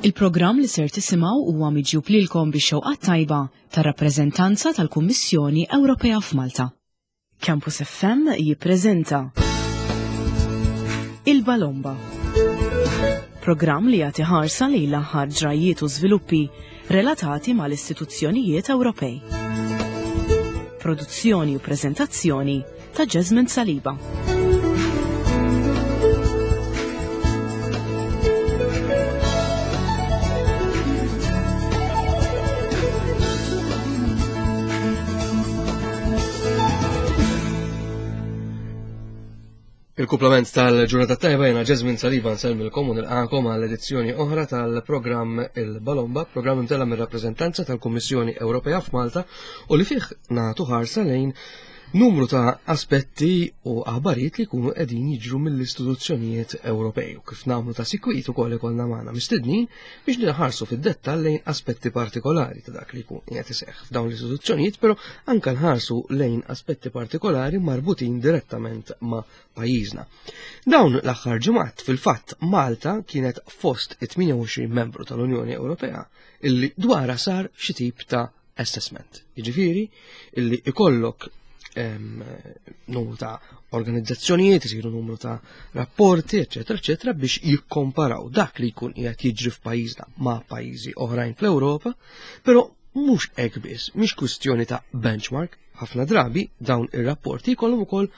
Il-programm li ser tisimgħu huwa miġjub lilkom bix-xewqat tajba tar-rappreżentanza tal-Kummissjoni Ewropea f'Malta. Campus FM jippreżenta Il-Balomba. Programm li jagħti ħarsa lejn l-aħħar ġrajjiet u żviluppi relatati mal-istituzzjonijiet Ewropej. Produzzjoni u preżentazzjoni ta' Jasmine Saliba. Il-kuplament tal-ġurnata tajba jena Jasmine Saliba nsellmilkom u nilqakom għal edizzjoni oħra tal-programm Il-Balomba, programm imtella mir-rappreżentanza tal-Kummissjoni Ewropea f'Malta u li fih nagħtu ħarsa lejn numru ta' aspetti u aħbarijiet li jkunu qegħdin jiġru mill-istituzzjonijiet Ewropej u kif nagħmlu ta' sikwit ukoll ikollna magħna mistednin biex nħarsu fid-dettall lejn aspetti partikolari ta' dak li jkun qiegħed iseħħ f'dawn l-istituzzjonijiet, però anke nħarsu lejn aspetti partikolari marbutin direttament ma' pajjiżna. Dawn l-aħħar ġimgħat fil-fatt Malta kienet fost it-28 membru tal-Unjoni Ewropea illi dwara sar xi tip ta' assessment. Jiġifieri illi ikollok numru ta' organizzazzjonijiet, isiru numru ta' rapporti, eċetera, eċetera, biex jikkomparaw dak li jkun qiegħed jiġri f'pajjiżna ma' pajjiżi oħrajn fl-Ewropa, però mhux hekk biss, mhix kwistjoni ta' benchmark, ħafna drabi dawn ir-rapporti jkollhom ukoll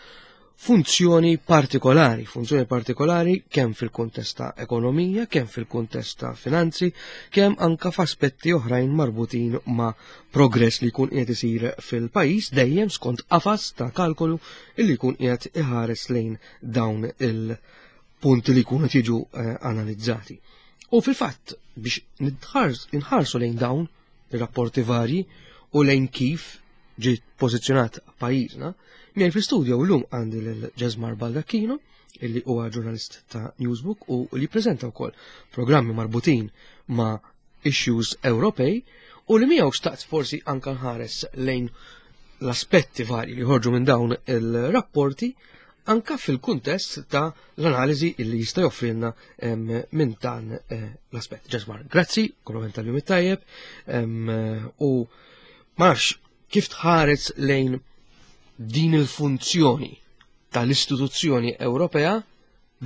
funzjoni partikolari, funzjoni partikolari kemm fil-kuntest ta' ekonomija, kemm fil-kuntest ta' finanzi, kemm anka f'aspetti oħrajn marbutin ma' progress li jkun qiegħed isir fil-pajjiż dejjem skont qafas ta' kalkolu illi jkun qiegħed iħares lejn dawn il-punti li jkunu qed jiġu eh, analizzati. U fil-fatt biex nħarsu lejn dawn ir-rapporti varji u lejn kif ġiet pożizzjonat pajjiżna, miegħi fl-istudio llum għandi lil Ġesmar Baldacchino, illi huwa ġurnalist ta' Newsbook u li preżenta wkoll programmi marbutin ma' issues Ewropej u li miegħu xtaqt forsi anka nħares lejn l-aspetti varji li jħorġu minn dawn il-rapporti anka fil-kuntest ta' l-analiżi illi jista' joffrilna minn dan eh, l-aspett. Ġesmar, grazzi, kompliment tal-jum it-tajjeb, u ma nafx kif tħares lejn din il-funzjoni tal-istituzzjoni Ewropea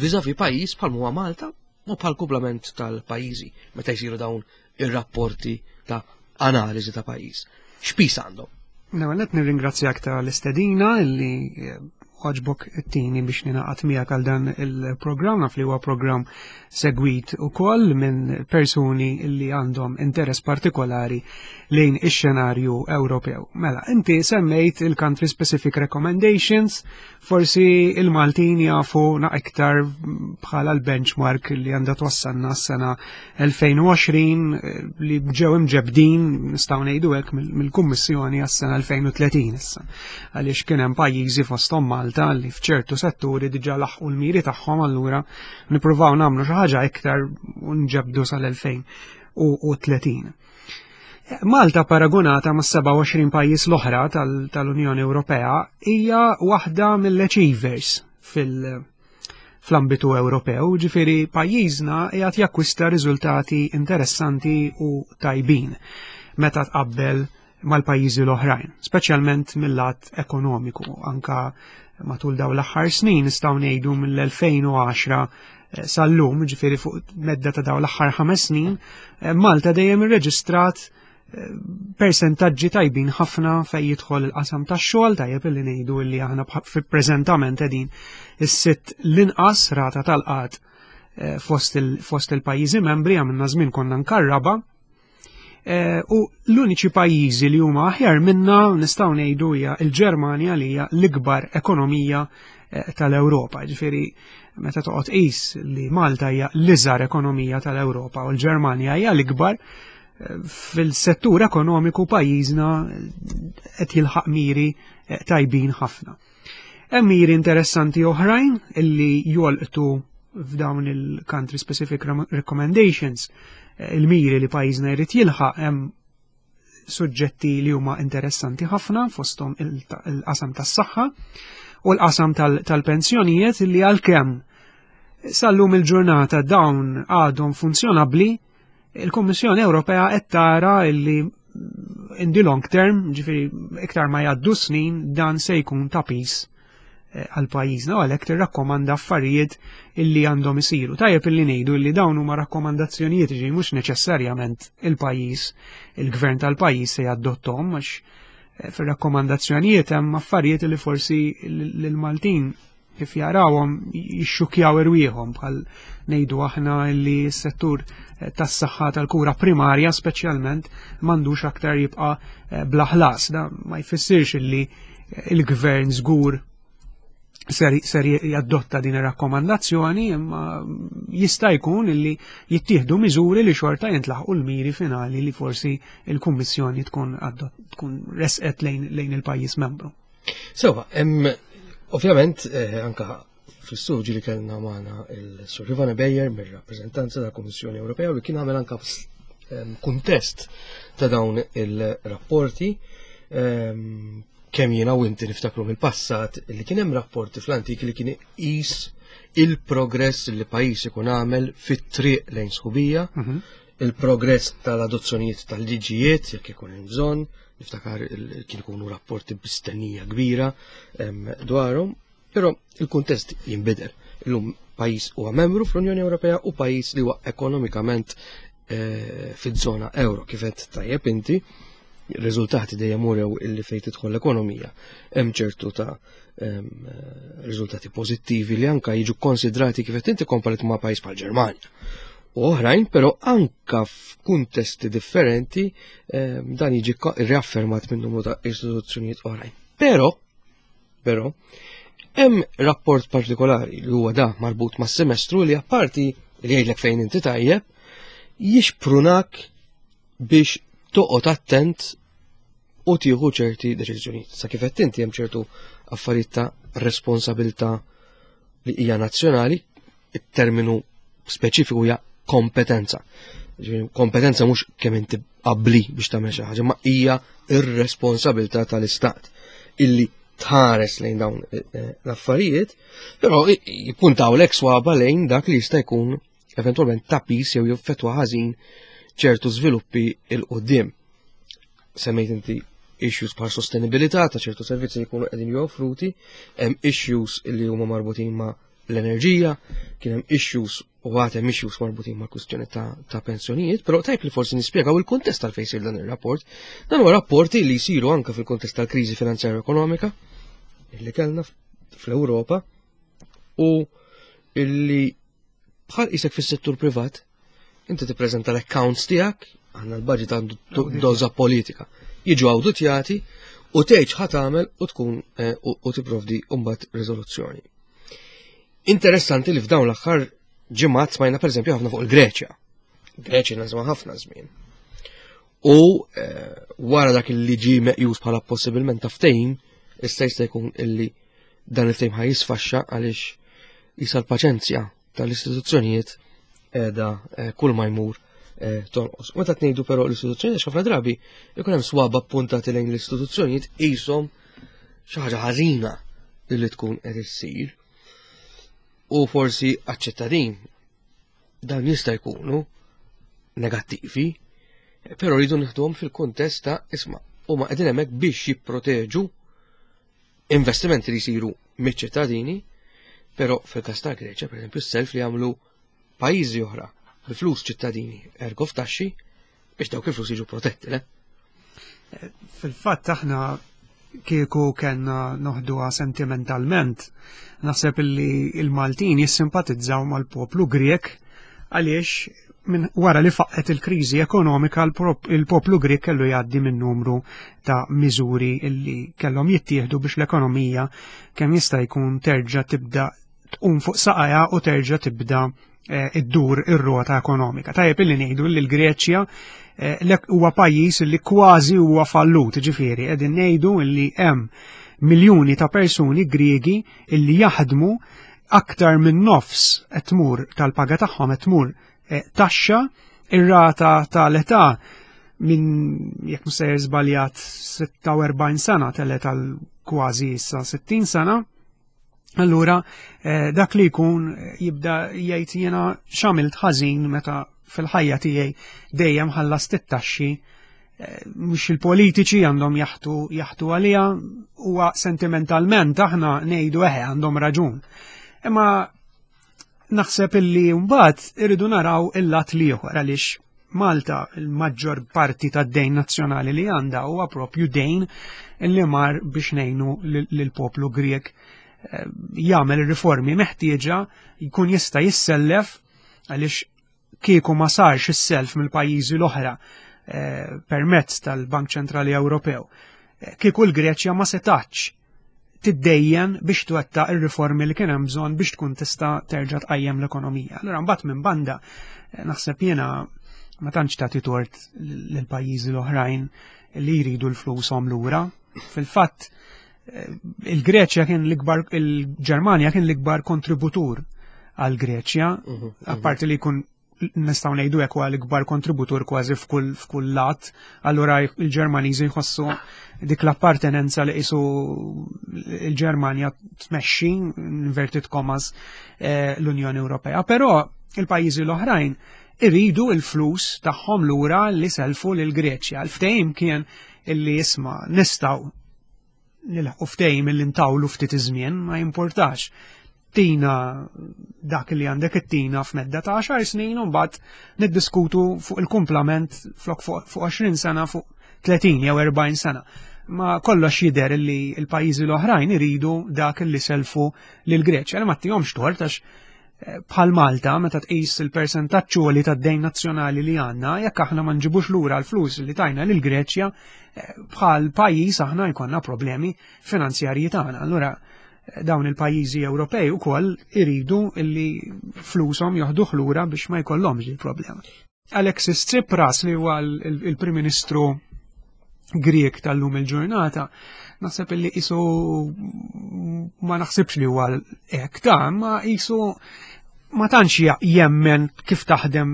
viżavi pajjiż bħal huwa Malta u bħal kumplament tal-pajjiżi meta jsiru dawn ir-rapporti ta' analiżi ta' pajjiż. X'pis għandhom? L-ewwel qed nirringrazzjak tal-istedina illi eh, għoġbok it-tini biex ninaqat miegħek għal dan il-programm naf li huwa programm segwit ukoll minn persuni li għandhom interess partikolari lejn ix-xenarju Ewropew. Mela, inti semmejt il-country specific recommendations, forsi il-Maltin jafu na iktar bħala l-benchmark li għandha twassalna s-sena 2020 eh, li ġew imġebdin nistgħu ngħidu hekk mill-Kummissjoni għas-sena 2030 issa. Għaliex kien hemm pajjiżi fosthom Malta li f'ċertu setturi diġà laħqu l-miri tagħhom allura nippruvaw nagħmlu xi ħaġa iktar u nġebdu sal-2030. Malta paragonata ma' 27 pajjiż l-oħra tal-Unjoni Ewropea hija waħda mill-achievers fil- fl-ambitu Ewropew, ġifiri pajjiżna qiegħed jakkwista riżultati interessanti u tajbin meta tqabbel mal-pajjiżi l-oħrajn, speċjalment mill-lat ekonomiku, anka matul daw l-aħħar snin nistgħu ngħidu mill-2010 eh, sal-lum, ġifieri fuq medda ta' daw l-aħħar ħames snin, eh, Malta dejjem irreġistrat eh, persentaġġi tajbin ħafna fej jidħol il-qasam tax-xogħol tajjeb illi ngħidu li aħna preżentament qegħdin is-sitt l-inqas rata tal-qgħad fost il-pajjiżi membri għamilna żmien konna nkarraba Eh, u l-uniċi pajjiżi li huma aħjar minna nistgħu ngħidu hija l-Ġermanja li hija l-ikbar ekonomija eh, tal-Ewropa. Ġifieri meta toqgħod qis li Malta hija l-iżgħar ekonomija tal-Ewropa u l-Ġermanja hija l-ikbar eh, fil-settur ekonomiku pajjiżna qed jilħaq miri tajbin ħafna. Hemm miri interessanti oħrajn illi jolqtu f'dawn il-country specific recommendations eh, il-miri li pajjiżna jrid jilħaq hemm suġġetti li huma interessanti ħafna fosthom il-qasam tas-saħħa u l-qasam tal-pensjonijiet li għalkemm sal-lum il-ġurnata dawn għadhom funzjonabbli. Il-Kummissjoni Ewropea qed tara illi in the long term, ġifieri iktar ma jgħaddu snin, dan se jkun ta' pis eh, għal pajjiżna u għalhekk tirrakkomanda affarijiet illi għandhom isiru. Tajjeb illi ngħidu illi dawn huma rakkomandazzjonijiet ġi mhux neċessarjament il-pajjiż, il-gvern tal-pajjiż se jadottom għax eh, fir-rakkomandazzjonijiet hemm affarijiet li forsi l-Maltin kif jarawhom jixxukjaw irwieħhom bħal ngħidu aħna li s-settur eh, tas-saħħa tal-kura primarja speċjalment m'għandux aktar jibqa' eh, bla ħlas. Da ma jfissirx illi eh, il-gvern żgur ser, ser jaddotta din ir-rakkomandazzjoni imma jista' jkun illi jittieħdu miżuri li xorta jintlaħqu l-miri finali li forsi il-Kummissjoni tkun tkun resqet lejn, lejn il-pajjiż membru. Sewa, hemm ovvjament eh, anka fl-istudju li kellna magħna il-Sur Ivana Bejer mir-rappreżentanza tal-Kummissjoni Ewropea li kien għamel anka ehm, kuntest ta' dawn il-rapporti ehm, kemm jiena u inti niftakru mill-passat li kien hemm rapporti fl-antik li kien iqis il-progress li pajjiż ikun għamel fit-triq lejn sħubija, mhm. il-progress tal-adozzjonijiet tal-liġijiet jekk ikun hemm bżonn, niftakar kien ikunu rapporti b'istennija kbira dwarhom, però il-kuntest jinbidel. Illum pajjiż huwa membru fl-Unjoni Ewropea u pajjiż li huwa ekonomikament eh, fiż-żona euro kif qed tajjeb inti riżultati dejjem urew illi fejn tidħol l-ekonomija hemm ċertu ta' eh, riżultati pożittivi li anka jiġu konsidrati kif qed inti komparit ma' pajjiż bħal Ġermanja u oħrajn, però anka f'kuntesti differenti ehm, dan jiġi riaffermat minn numru ta' istituzzjonijiet oħrajn. Però, però, hemm rapport partikolari li huwa da marbut mas semestru li apparti li jgħidlek fejn inti tajjeb, jixprunak biex toqgħod attent u tieħu ċerti deċiżjonijiet. Sa kif qed inti hemm ċertu affarijiet ta' responsabilità li hija nazzjonali, it-terminu speċifiku hija kompetenza. Kompetenza mhux kemm inti qabli biex tagħmel xi ħaġa, ma hija ir-responsabilità tal-istat illi tħares lejn dawn eh, eh, l-affarijiet, però jippuntaw l swaba lejn dak li jista' jkun eventwalment ta' pis jew jaffettwa ħażin ċertu żviluppi il qudiem Semmejt inti issues bħal sostenibilità ta' ċertu servizzi li jkunu qegħdin joffruti, hemm issues li huma marbutin ma' l-enerġija, kien hemm issues u għad hemm issues marbutin ma' kwistjoni ta', ta pensjonijiet, però tajb li forsi nispjegaw il-kuntest tal fejn jsir dan ir-rapport. Dan huwa rapporti li jsiru anke fil-kuntest tal-kriżi finanzjarja ekonomika li kellna fl-Ewropa u illi bħal isek fis-settur privat, inti tippreżenta l-accounts tiegħek, għandna l-budget għandu doża politika. Jiġu awditjati u tgħid x'ħa tagħmel u tkun eh, u tipprovdi mbagħad riżoluzzjoni. Interessanti li f'dawn l-aħħar ġimgħat smajna pereżempju ħafna fuq il-Greċja. Greċja nażma ħafna żmien. U eh, wara dak li ġi meqjus bħala possibilment ta' ftehim, issa jista' jkun illi dan il-ftehim ħaj jisfaxxa għaliex jisa l-paċenzja tal-istituzzjonijiet qiegħda eh, kull ma jmur eh, tonqos. Meta tnejdu però l-istituzzjonijiet ħafna drabi ikun hemm swaba puntati lejn l-istituzzjonijiet qishom xi ħaġa ħażina li tkun qed issir. U forsi għaċ-ċittadin dawn jista' jkunu negattivi, però rridu nieħduhom fil-kuntest ta' isma' huma qegħdin hemmhekk biex jipproteġu investimenti li jsiru miċ-ċittadini, però fil-każ ta' Greċja, pereżempju, s-self li jagħmlu pajjiżi oħra bi flus ċittadini ergo f'taxxi biex dawk il-flus jiġu protetti, le? Fil-fatt aħna kieku kellna noħduha sentimentalment, naħseb illi il-Maltin jissimpatizzaw mal-poplu Grek għaliex minn wara li faqqet il-kriżi ekonomika il-poplu Grek kellu jgħaddi minn numru ta' miżuri illi kellhom jittieħdu biex l-ekonomija kemm jista' jkun terġa' tibda tqum fuq saqajha u terġa' tibda eh, iddur ir-rota ekonomika. Tajjeb illi ngħidu li l-Greċja eh, huwa pajjiż li kważi huwa fallut, ġifieri qegħdin ngħidu li hemm miljuni ta' persuni Griegi illi jaħdmu aktar minn nofs qed tmur tal-paga tagħhom qed tmur eh, taxxa, ir-rata tal-età minn jekk mhux sejjer żbaljat 46 sena telet għal kważi issa 60 sena. Allura eh, dak li jkun jibda jgħid jiena x'għamilt ħażin meta fil-ħajja tiegħi dejjem ħallast it-taxxi eh, mhux il-politiċi għandhom jaħtu jaħtu għalija huwa sentimentalment aħna ngħidu eħe għandhom raġun. Imma naħseb illi mbagħad irridu naraw il-lat l-ieħor għaliex Malta il-maġġor parti tad-dejn nazzjonali li għandha huwa propju dejn li mar biex ngħinu lill-poplu Grieg eh, jagħmel ir-riformi meħtieġa jkun jista' jissellef għaliex kieku ma sarx is-self mill-pajjiżi l-oħra eh, permezz tal-Bank Ċentrali Ewropew. Eh, kieku l-Greċja ma setax tiddejjen biex twettaq ir-riformi li kien hemm bżonn biex tkun tista' terġa' tqajjem l-ekonomija. Allura mbagħad minn banda eh, naħseb jiena ma tantx tagħti tort lill-pajjiżi l-oħrajn li jridu l-flushom lura. Fil-fatt eh, il-Greċja kien l-ikbar il-Ġermanja kien l-ikbar kontributur għal Greċja, mhm, mhm. apparti li jkun nistgħu ngħidu hekk huwa l-ikbar kontributur kważi f'kull f'kull lat, allura il-Ġermaniżi jħossu dik l-appartenenza li qisu il-Ġermanja tmexxi inverted commas eh, l-Unjoni Ewropea. Però il-pajjiżi l-oħrajn iridu il-flus tagħhom lura li selfu lil Greċja. Il-ftehim kien illi jisma' nistgħu nilħqu ftehim illi ntawlu ftit iż-żmien ma jimportax. Tina dak li għandek it-tina f'medda ta' 10 snin u mbagħad niddiskutu fuq il-kumplament flok fuq 20 sena fuq 30 jew 40 sena. Ma kollox jidher li l-pajjiżi l-oħrajn iridu dak li selfu lil Greċja li ma tihomx tort għax bħal Malta meta tqis il-persentaġġ għoli tad-dejn nazzjonali li għandna, jekk aħna ma nġibux lura l-flus li tajna lil Greċja, eh, bħal pajjiż aħna jkollna problemi finanzjarji tagħna. Allura eh, dawn il-pajjiżi Ewropej ukoll iridu illi flushom joħduh lura biex ma jkollhomx il-problema. Alexis Tsipras li huwa il-Prim Ministru Grieg tal-lum il-ġurnata, naħseb illi isu ma naħsibx li huwa hekk ta' ma isu ma tantx jemmen kif taħdem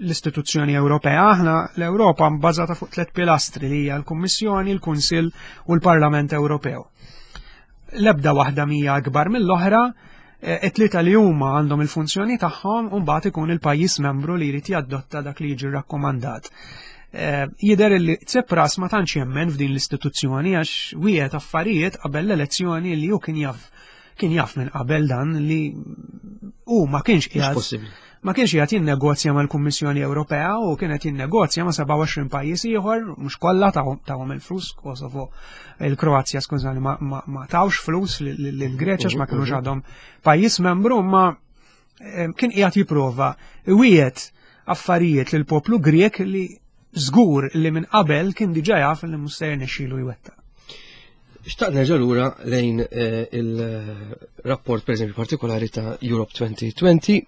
l-istituzzjoni Ewropea. Aħna l-Ewropa bbażata fuq tliet pilastri li hija l-Kummissjoni, l-Kunsill u l-Parlament Ewropew. L-ebda waħda mija akbar mill-oħra, Eh, it-tlieta li huma għandhom il-funzjoni tagħhom u mbagħad ikun il-pajjiż membru li jrid jadotta dak li jiġi rakkomandat. Eh, jidher li Tsipras ma tantx jemmen f'din l-istituzzjoni għax wieħed affarijiet qabel l-elezzjoni li hu kien jaf kien jaf minn qabel dan li hu ma kienx qiegħed ma kienx qiegħed jinnegozja mal-Kummissjoni Ewropea u kien qed jinnegozja ma' 27 pajjiż ieħor, mhux kollha tawhom il-flus, Kosovo, il-Kroazja skużani ma, ma, ma tawx flus lill-Greċja ma kinux għadhom pajjiż membru, ma eh, kien qiegħed jipprova wieħed affarijiet lil poplu Grek li żgur li minn qabel kien diġà jaf li mhux se jirnexxielu jwettaq. Xtaqt nerġa' lura lejn eh, il-rapport pereżempju partikolari ta' Europe 2020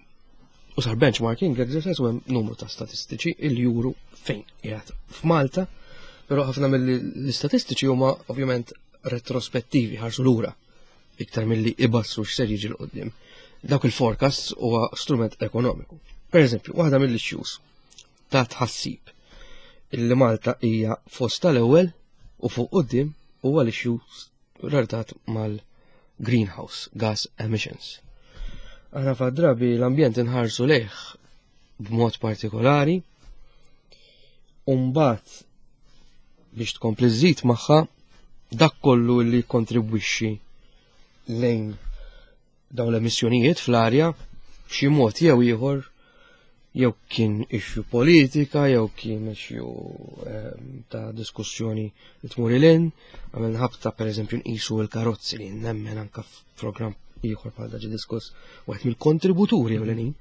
u sar benchmarking exercise u hemm numru ta' statistiċi il juru fejn qiegħed f'Malta, però ħafna mill-istatistiċi huma ovvjament retrospettivi ħarsu lura iktar milli ibassru x'ser jiġi l qudiem Dawk il-forecasts huwa strument ekonomiku. Per eżempju, waħda mill-issues ta' tħassib illi Malta hija fost tal-ewwel u fuq quddiem huwa l-issue relatat mal-greenhouse gas emissions. Aħna fa' drabi l-ambjent inħarsu lejh b'mod partikolari u mbagħad biex tkompli żżid magħha dak kollu li kontribwixxi lejn Dawn l-emissjonijiet fl-arja b'xi mod jew ieħor jew kien issue politika, jew kien issue ehm, ta' diskussjoni li tmur il-in, għamil ħabta per eżempju nqisu l-karozzi li nemmen anka f'programm ieħor bħal daġi diskuss wieħed mill-kontributuri ewlenin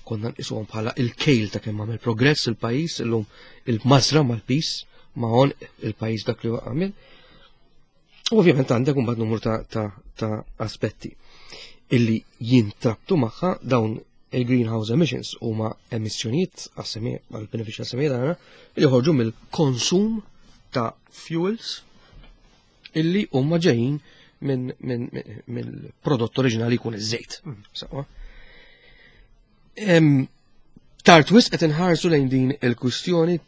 konna nqisuhom bħala il-kejl ta' kemm għamel progress il-pajjiż illum il-mażra mal-pis ma' il-pajjiż dak li għamil. U ovvjament għandek imbagħad numru ta', ta, ta aspetti illi jintrabtu magħha dawn il-greenhouse emissions huma emissjonijiet għal-benefiċċju għas-semija tagħna li joħorġu mill-konsum ta' fuels illi huma ġejjin minn min, mill-prodott oriġinali jkun iż-żejt. Mm. Sawa. Tard wisq qed inħarsu lejn din il-kwistjoni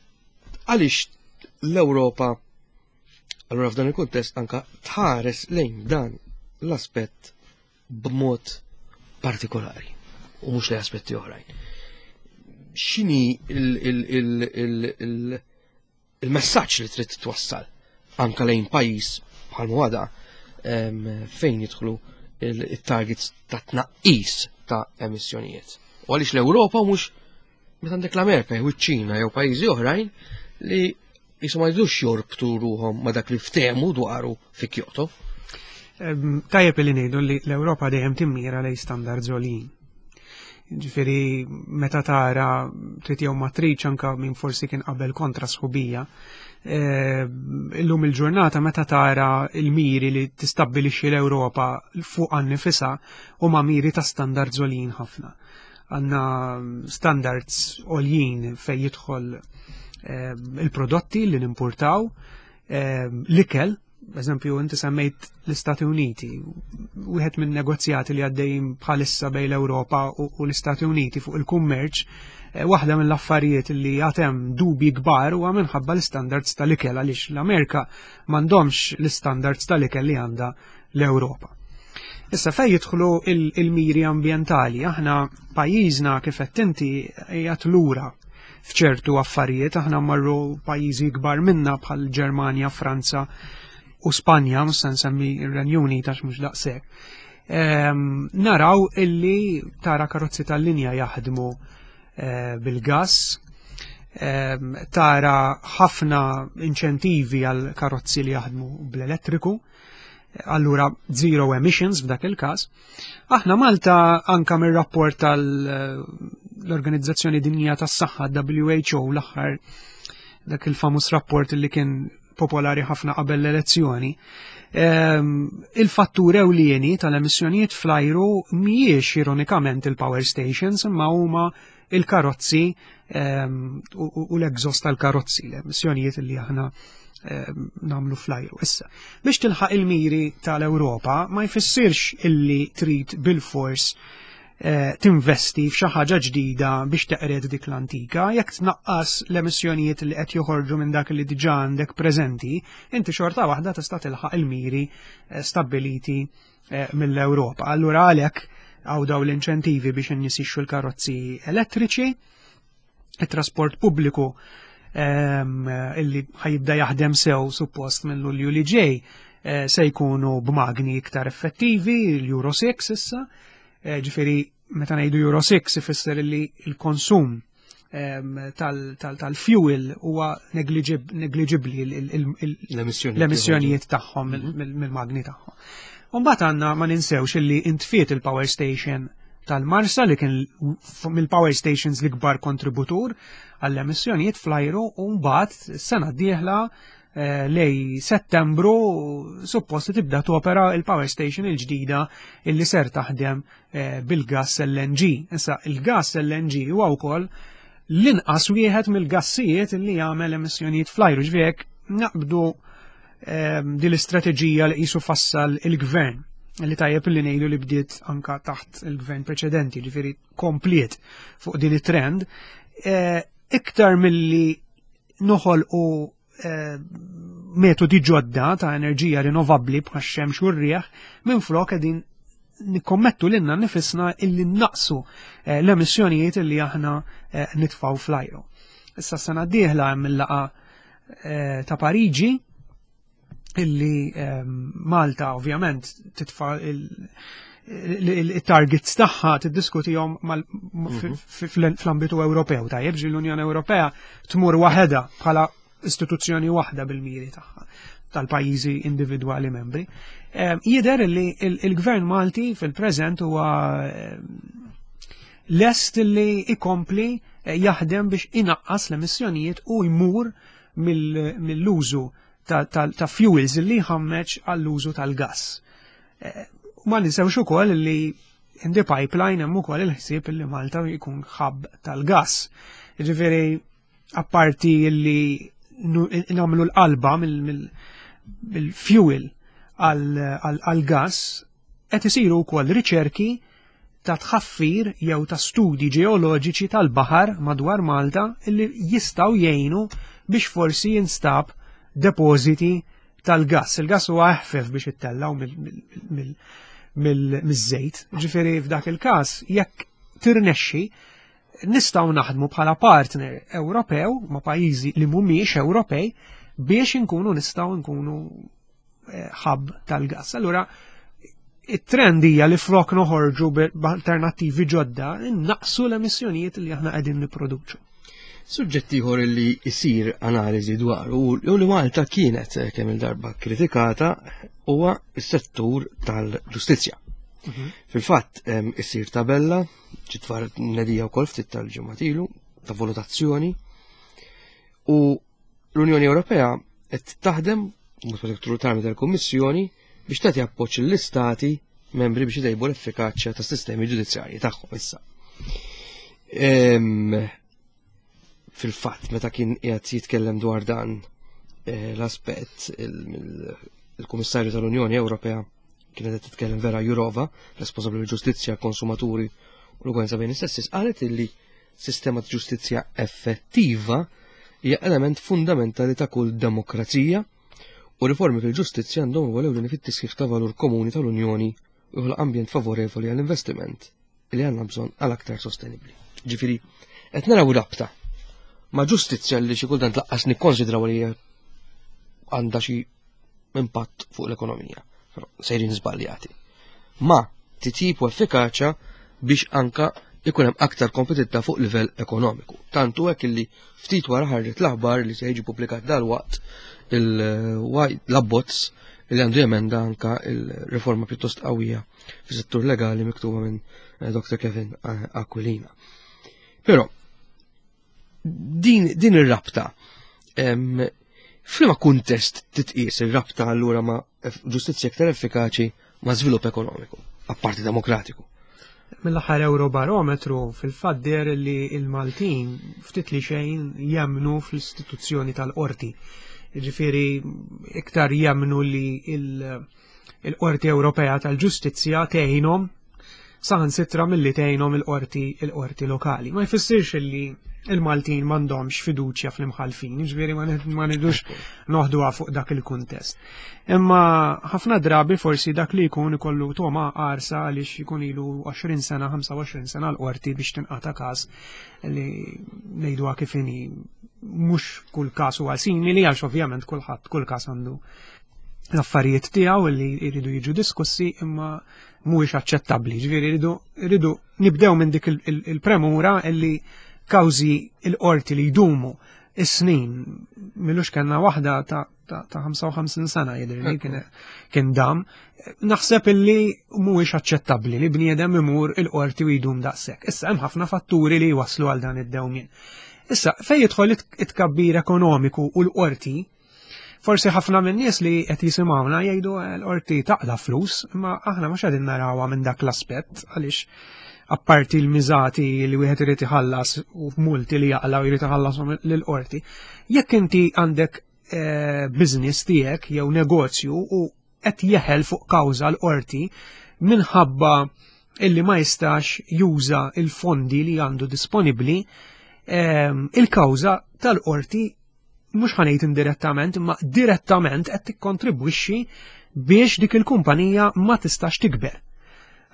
għaliex l-Ewropa Allura f'dan il-kuntest anka tħares lejn dan l-aspett b'mod partikolari u mhux lejn aspetti oħrajn. X'inhi il-messaġġ li trid twassal anka lejn pajjiż bħal mwada fejn jidħlu il-targets ta' tnaqqis ta' emissjonijiet. U għaliex l-Ewropa mhux meta għandek l-Amerika jew iċ-Ċina jew pajjiżi oħrajn li jisu ma jridux jorbtu ruhom ma dak li ftehmu dwaru fi Kyoto. Tajjeb li ngħidu li l-Ewropa dejjem timmira lejn standards għoljin. Ġifieri meta tara trid jew ma tridx anke min forsi kien qabel kontra sħubija, eh, illum il-ġurnata meta tara il-miri li tistabbilixxi l-Ewropa fuq nifisha huma miri ta' standards għoljin ħafna. Għandna standards għoljin fejn jidħol eh, il-prodotti li nimportaw, eh, l-ikel, eżempju, inti semmejt l-Istati Uniti, wieħed minn negozjati li għaddejjin bħalissa bejn l-Ewropa u l-Istati Uniti fuq il-kummerċ, eh, waħda mill-affarijiet li għatem dubi kbar huwa minħabba l-standards tal-ikel għaliex l-Amerika m'għandhomx l-standards tal-ikel li għandha l-Ewropa. Issa fej jidħlu il-miri ambjentali, aħna pajjiżna kif qed inti qiegħed lura f'ċertu affarijiet, aħna marru pajjiżi kbar minna bħal Ġermanja, Franza u Spanja, mhux se nsemmi r-Renju Unit għax mhux daqshekk. Ehm, naraw illi tara karozzi tal-linja jaħdmu eh, bil-gas, ehm, tara ħafna inċentivi għal karozzi li jaħdmu bl-elettriku, allura zero emissions f'dak il-każ. Aħna Malta anka mir-rapport tal-Organizzazzjoni Dinjija tas-Saħħa WHO l-aħħar dak il-famus rapport li kien popolari ħafna qabel l-elezzjoni. Ehm, il-fattur ewlieni tal-emissjonijiet fl-ajru mhijiex ironikament il-power stations imma huma il-karozzi ehm, u l-exhaust tal-karozzi, l-emissjonijiet li aħna ehm, namlu fl-ajru. Issa, biex tilħaq il-miri tal-Ewropa ma jfissirx illi trid bil-fors eh, tinvesti f'xi ħaġa ġdida biex teqred dik l-antika, jekk tnaqqas l-emissjonijiet li qed joħorġu minn dak li diġà għandek preżenti, inti xorta waħda tista' tilħaq il-miri eh, stabbiliti eh, mill-Ewropa. Allura għalhekk għaw daw l-inċentivi biex in-nies jixxu l-karozzi elettriċi, it-trasport pubbliku ehm, illi ħajibda jaħdem sew suppost minn Lulju li ġej eh, se jkunu b'magni iktar effettivi, l-Euro 6 issa, eh, ġifieri meta ngħidu Euro 6 ifisser li l-konsum tal-fuel huwa negliġibbli l-emissjonijiet tagħhom mhm. mill-magni tagħhom. Mbagħad għandna ma ninsewx illi intfiet il-power station tal-Marsa li kien mill-power stations l-ikbar kontributur għall-emissjonijiet fl-ajru u mbagħad sena d-dieħla eh, lej settembru suppost tibda topera il-power station il-ġdida illi ser taħdem Eh, bil-gas LNG. Issa, il-gas LNG huwa wkoll l-inqas wieħed mill-gassijiet li jagħmel emissjonijiet fl-ajru ġviek naqbdu ehm, din l-istrateġija li qisu fassal il-gvern li tajjeb li ngħidu li bdiet anka taħt il-gvern preċedenti, ġifieri kompliet fuq din it-trend, eh, iktar milli noħolqu eh, metodi ġodda ta' enerġija rinnovabbli bħax-xemx u r-rieħ minflok qegħdin nikkommettu lilna nifisna illi naqsu eh, l-emissjonijiet illi aħna eh, nitfaw fl-ajru. Issa sena d-dieħla hemm il-laqa ta' Pariġi illi Malta ovvjament titfa' il-targets tagħha tiddiskutihom mhm. fl-ambitu Ewropew tajjeb ġi l-Unjoni Ewropea tmur waħedha bħala istituzzjoni waħda bil-miri tagħha tal-pajjiżi individwali membri. Jidher li il-Gvern Malti fil-preżent huwa lest li ikompli eh, jaħdem biex inaqqas l-emissjonijiet u jmur mill-użu ta' fuels li jħammeġ għall-użu tal-gas. Eh, ma ninsewx ukoll li in the pipeline hemm ukoll il-ħsieb li Malta jkun hub tal-gas. Ġifieri apparti li nagħmlu l-qalba mill-fuel għall-gas, qed isiru wkoll riċerki ta' tħaffir jew ta' studji ġeoloġiċi tal-baħar madwar Malta li jistgħu jgħinu biex forsi jinstab depożiti tal-gass. Il-gass huwa eħfef biex ittellgħu mill-żejt. Ġifieri f'dak il-każ jekk tirnexxi Nistgħu naħdmu bħala partner Ewropew ma' pajjiżi li mhumiex Ewropej biex inkunu nistgħu nkunu eh, hub tal-gas. Allura it-trend hija li flok noħorġu b'alternattivi ġodda, naqsu l-emissjonijiet li aħna qegħdin nipproduċu. Suġġett ieħor li jsir analiżi dwar u li Malta kienet eh, kemm il-darba kritikata huwa s-settur tal-ġustizzja. Mhm. Fil-fatt issir tabella ġitfar nedija wkoll ftit tal-ġimgħat ilu ta' valutazzjoni u l-Unjoni Ewropea qed taħdem mod partikolari tal-Kummissjoni biex tagħti appoġġ lill-istati membri biex itejbu l-effikaċja tas-sistemi ġudizzjarji tagħhom issa. Fil-fatt, meta kien qiegħed jitkellem dwar dan eh, l-aspett il-Kummissarju tal-Unjoni Ewropea kienet qed titkellem Vera Jurova, responsabbli mill-ġustizzja, konsumaturi u l-ugwanza bejn is-sessi, qalet illi sistema ta' ġustizzja effettiva hija element fundamentali ta' kull demokrazija u riformi fil-ġustizzja għandhom rwol ewlieni fit-tisħiħ ta' valur komuni tal-Unjoni u joħloq ambjent favorevoli għall-investiment li għandna bżonn għal aktar sostenibbli. Ġifieri, qed naraw rabta ma' ġustizzja li xi kultant laqqas nikkonsidraw li għandha xi impatt fuq l-ekonomija. Però sejrin żbaljati. Ma titjib u effikaċja biex anka ikun hemm aktar kompetitta fuq livell ekonomiku. Tantu hekk illi ftit wara ħarġet l-aħbar li se jiġi pubblikat dalwaqt l-abbozz li għandu jemenda anka il-riforma pjuttost qawwija fis-settur legali miktuba minn eh, Dr. Kevin eh, Aquilina. Però din, din ir-rabta f'liema kuntest titqies ir-rabta allura ma' ġustizzja aktar effikaċi ma' żvilupp ekonomiku, apparti demokratiku? Mill-aħħar Eurobarometru fil-fatt deher li l-Maltin ftit li xejn jemmnu fl-istituzzjoni tal-qorti. Ġifieri iktar jemmnu li il-Qorti Ewropea tal-Ġustizzja tgħinhom saħansitra milli tgħinhom il-qorti il-qorti lokali. Ma jfissirx li il-Maltin m'għandhomx fiduċja fl-imħalfin, ġifieri ma nidux noħduha fuq dak il-kuntest. Imma ħafna drabi forsi dak li jkun ikollu toma qarsa għaliex jkun ilu 20 sena, 25 sena l-qorti biex tinqata' każ li ngħiduha kif inhi mhux kull każ huwa simili għax ovvjament kulħadd kull każ għandu l-affarijiet tiegħu li jridu jiġu diskussi imma mhuwiex aċċettabbli. Ġifieri rridu nibdew minn dik il-premura illi kawżi il-qorti li jdumu is-snin milux kellna waħda ta' ta' 55 sena jidhirli kien dam. Naħseb illi mhuwiex aċċettabbli li bniedem imur il-qorti u jdum daqshekk. Issa hemm ħafna fatturi li jwasslu għal dan id-dewmien. Issa fejn jidħol it-tkabbir ekonomiku u l-qorti, Forsi ħafna minn nies li qed jisimgħuna jgħidu eh, l-qorti taqla flus, imma aħna mhux qegħdin narawha minn dak l-aspett għaliex apparti l-miżati li wieħed irid iħallas u multi li jaqla u jrid iħallashom lill-qorti. Jekk inti għandek eh, business tiegħek jew negozju u qed jeħel fuq kawża l-qorti minħabba illi ma jistax juża il-fondi li għandu disponibbli, eh, il-kawża tal-qorti mhux ħanejt indirettament, imma direttament qed tikkontribwixxi biex dik il-kumpanija ma tistax tikber.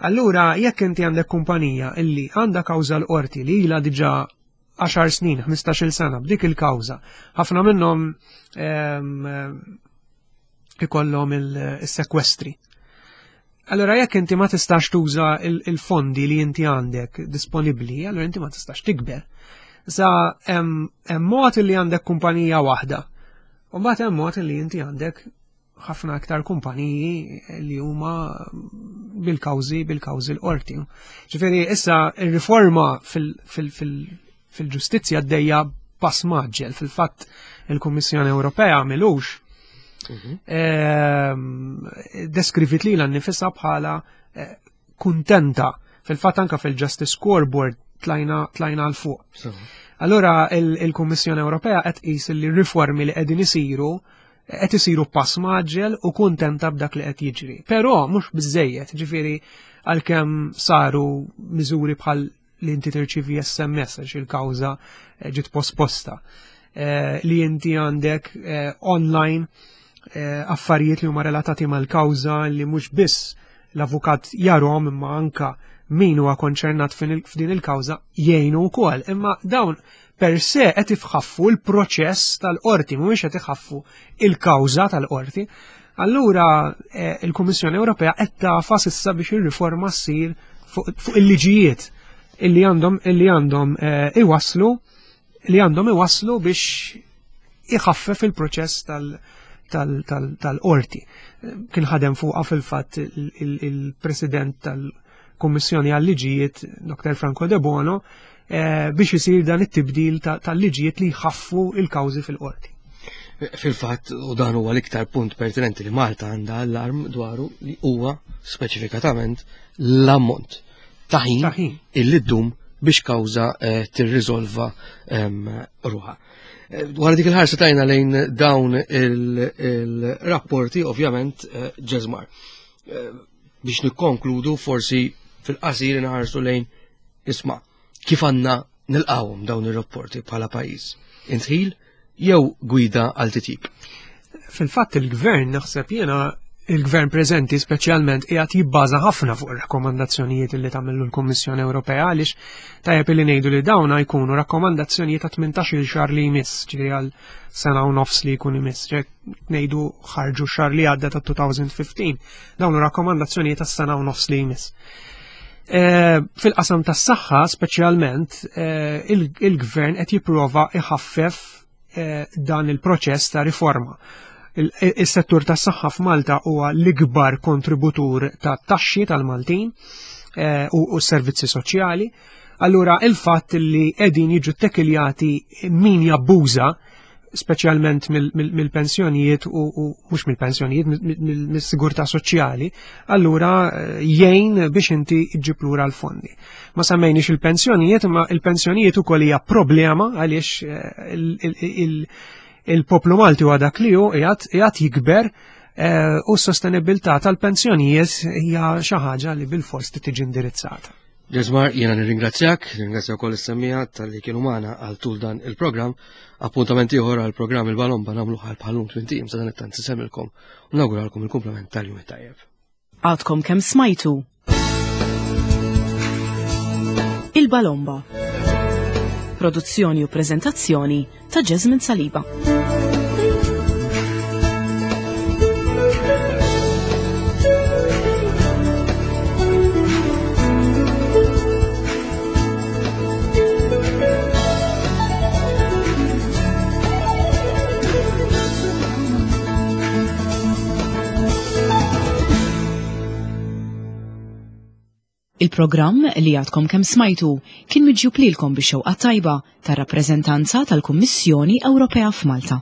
Allura, jekk inti għandek kumpanija illi għandha kawża l-qorti li ilha diġà 10 snin, 15-il sena b'dik il-kawża, ħafna minnhom ehm, ikollhom il-sekwestri. Allora jekk inti ma tistax tuża il-fondi li inti għandek disponibbli, allora inti ma tistax tikber. Sa hemm mod li għandek kumpanija waħda. U mbagħad hemm mod li inti għandek ħafna aktar kumpaniji li huma bil-kawżi bil-kawżi l-qorti. Ġifieri issa ir-riforma fil-ġustizzja għaddejja pass maġġel. Fil-fatt il-Kummissjoni Ewropea milux mhm. ehm, deskrivit li l-nifisa bħala eh, kuntenta. Fil-fatt anka fil-Justice Scoreboard tlajna tlajna l fuq. Allura il-Kummissjoni Ewropea qed qis li riformi li qegħdin isiru qed isiru pass maġġel u kuntenta b'dak li qed jiġri. Però mhux biżejjed, ġifieri għalkemm saru miżuri bħal li inti tirċivi SMS għax il-kawża eh, ġiet posposta. Eh, li inti għandek eh, online affarijiet li huma relatati mal-kawża li mhux biss l-avukat jarhom imma anka min huwa konċernat f'din il-kawża jgħinu wkoll, imma dawn per se qed ifħaffu l-proċess tal-qorti, mhumiex qed iħaffu il-kawża tal-qorti. Allura eh, il-Kummissjoni Ewropea qed tafas issa biex ir-riforma ssir fuq il-liġijiet illi għandhom illi għandhom eh, iwasslu li għandhom iwasslu biex iħaffef il-proċess tal-qorti. Kien ħadem fuqha fil-fatt il-President tal-Kummissjoni għal-Liġijiet, Dr. Franco De Bono, eh, biex isir dan it-tibdil tal-liġijiet li jħaffu il-kawżi fil-qorti. Fil-fatt, u dan huwa l-iktar punt pertinenti li Malta għandha allarm dwaru li huwa speċifikatament l-ammont ta' ħin illi ddum biex kawża eh, tirriżolva ehm, ruħha. Eh, dwar dik il-ħarsa tajna lejn dawn il-rapporti, ovvjament, eh, ġeżmar. Biex nikkonkludu forsi fil-qasir nħarsu lejn isma' kif għandna nilqawhom dawn ir-rapporti bħala pajjiż. Intħil jew gwida għal titjib? Fil-fatt il-gvern naħseb jiena il-gvern preżenti speċjalment qiegħed jibbaża ħafna fuq ir-rakkomandazzjonijiet li tagħmlu l-Kummissjoni Ewropea għaliex tajjeb li ngħidu li dawna jkunu rakkomandazzjonijiet ta' 18-il xahar li jmiss, ġifieri għal sena u nofs li jkun imiss, ngħidu ħarġu xahar li għadda ta' 2015, dawn rakkomandazzjonijiet ta' sena u nofs li jmiss. Eh, fil-qasam tas-saħħa speċjalment eh, il-gvern qed jipprova iħaffef eh, dan il-proċess ta' riforma. Il-settur tas-saħħa f'Malta huwa l-ikbar kontributur ta' taxxi tal-Maltin u s-servizzi soċjali. Allura il-fatt li qegħdin jiġu tekiljati min jabbuża speċjalment mill-pensjonijiet u mhux mill-pensjonijiet, mill-sigurtà soċjali, allura eh, jgħin biex inti ġġib lura l-fondi. Ma semmejniex il-pensjonijiet, imma il-pensjonijiet ukoll hija problema għaliex eh, il-poplu Malti huwa dak li hu qiegħed jikber eh, u s-sostenibilità tal-pensjonijiet hija xi ħaġa li bil-fors tiġi indirizzata. Ġeżmar, jiena nirringrazzjak, nirringrazzja wkoll is-semmija tal-li kienu magħna għal tul dan il-programm. Appuntament ieħor għal programm il-Balomba nagħmlu ħal bħalum tmien sa dan it-tant semmilkom u nawguralkom il-kumplament tal-jum it-tajjeb. Għadkom kemm smajtu Il-Balomba. Produzzjoni u preżentazzjoni ta' Jasmine Saliba. Il-programm li għadkom kemm smajtu kien miġjub lilkom bix-xewqa tajba tar-rappreżentanza tal-Kummissjoni Ewropea f'Malta.